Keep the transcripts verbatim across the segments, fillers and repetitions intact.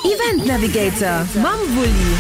Event Navigator mam Wulli.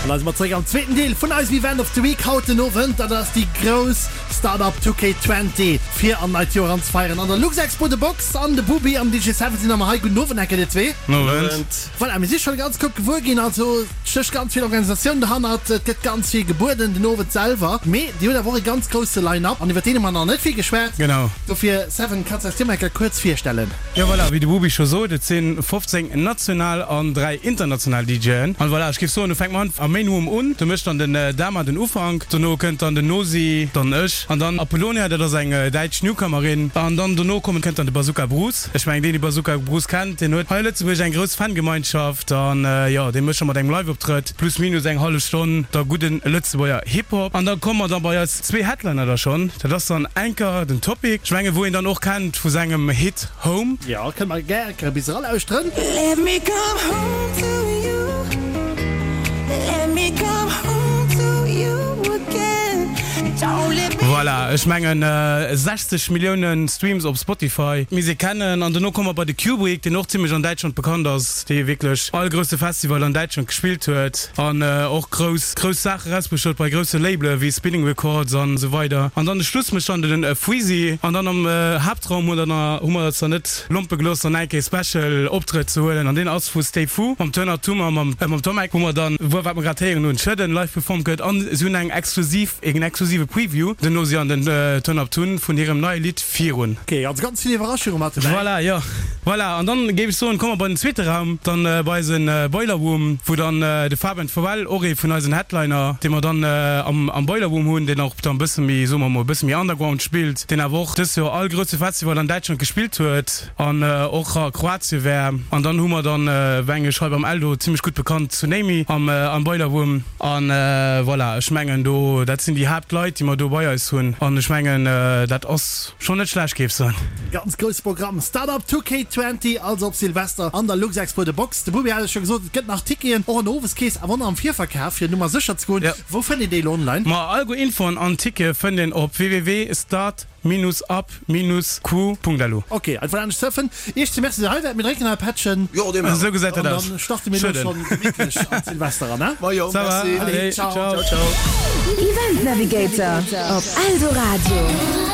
An da si mer zeréck am zweeten Deel vun eisem Event of the Week haut den Owend. Dat ass déi grouss Startup two K twenty fir an neit Joer anzefeieren an der Luxexpo. De Box an de Bubi an den D J Seven sinn nach ëmmer hei. Gudden Owend enke dir zwee. Owend. Voilà, mir si schonn ganz kuerz gewuer ginn. Also et stécht ganz vill Organisatioun derhannert. Et gëtt ganz vill gebueden den Owend selwer. Mee dir hutt awer och e ganz grousse Line-Up an iwwer deen hu mer nach net vill geschwat. Genau. Dofir Seven, kanns du eis dir mol enke kuerz virstellen? Jo voilà, wéi de Bubi scho sot, et si fofzéng national an dräi international D J'en. An voilà, ech géif soen, du fänk mer an am Main Room un. Do mécht dann den Dama den Ufank, dono kënnt dann den Nosi, dann ech an dann Apollonia, dat ass eng däitsch Newcomerin. An dann dono kommen, kënnt dann de Bazooka Bruce. Ech mengen, deen dee Bazooka Bruce kennt, deen huet hei a Lëtzebuerg eng grouss Fangemeinschaft. An jo, dee mécht scho mat engem Live-Optrëtt plus minus eng hallef Stonn da gudden Lëtzebuerger Hip-Hop. An da komme mer dann bei eis zwee Headliner da schonn. Dat ass dann enker den Topic, ech mengen, wou een dann och kennt vu sengem Hit Home. Jo, kënne mer gär enker e bis eralauschteren. Let me come home to you. Let me come home to you again. Don't let me Voilà, ech mengen sechzeg Milliounen Streams op Spotify, misst ee kennen. An dono komme mer bei de Cuebrick, deen och zimlech an Däitschland bekannt ass, dee wierklech all grousse Festival an Däitschland gespillt huet an och grouss, grouss Saache erausbruecht huet bei grousse Labele wéi Spinning Records an esou weider. An dann de Schluss mécht dann den Freezy. An dann am Haaptraum hu mer hu mer eis dann net lompe gelooss dann eng Kéier Special Optrëtt ze huelen an deen ass vu Stay Fu mam Turner Tummer a mam mam Tomek, wou mer dann, wou wat mer grad héieren hunn, Schëdden live performt gëtt an si hunn eng exklusiv, een exklusive Preview den Nosi an den Turn Up Tun vun hirem neie Lidd Virun. Ok, also ganz vill Iwwerraschunge mat dobäi. Voilà, jo. Voilà, an dann géif ech soen, komme mer bei den zweete Raum, dann bei eisen Boiler Room, wou dann de Fabian Forel, och ee vun eisen Headliner, dee mer dann am am Boiler Room hunn, deen och dann e bësse méi, soe mer mol, e bësse méi underground spillt, deen awer och dëst Joer all grousse Festival an Däitschland gespillt huet an och a Kroatien war. An dann hu mer dann, weng ech hei beim Eldo zimmlech gutt bekannt, Tsunami am am Boiler Room. An voilà, ech mengen do, dat sinn déi Haaptleit, déi mer do bei eis hunn. An ech mengen, dat ass schonn net schlecht, géif soen. Ganz grousse Programm, Startup two K twenty, also op Silvester an der Luxexpo The Box. De Bubi hat et scho gesot, et gëtt nach Ticketen, och an der Oweskeess, awer och nach am Virverkaf, fir Nummer sécher ze goen. Wou fënnt een déi elo online? Ma all guer Infoen an Tickete fënnt een op www start minus up minus crew punkt lu. Ok, einfach anescht surfen. Iech ze Merci, dir hei waart. Mir drénken nach e Pättchen. Jo, dee maache Esou gesäit dat An aus. dann starte mir elo Schëdden. schonn gemittlech an d'Silvester eran, ne? Majo, Ça va, merci. allez, Allez, ciao. ciao. Ciao, ciao. Event Navigator op Eldoradio.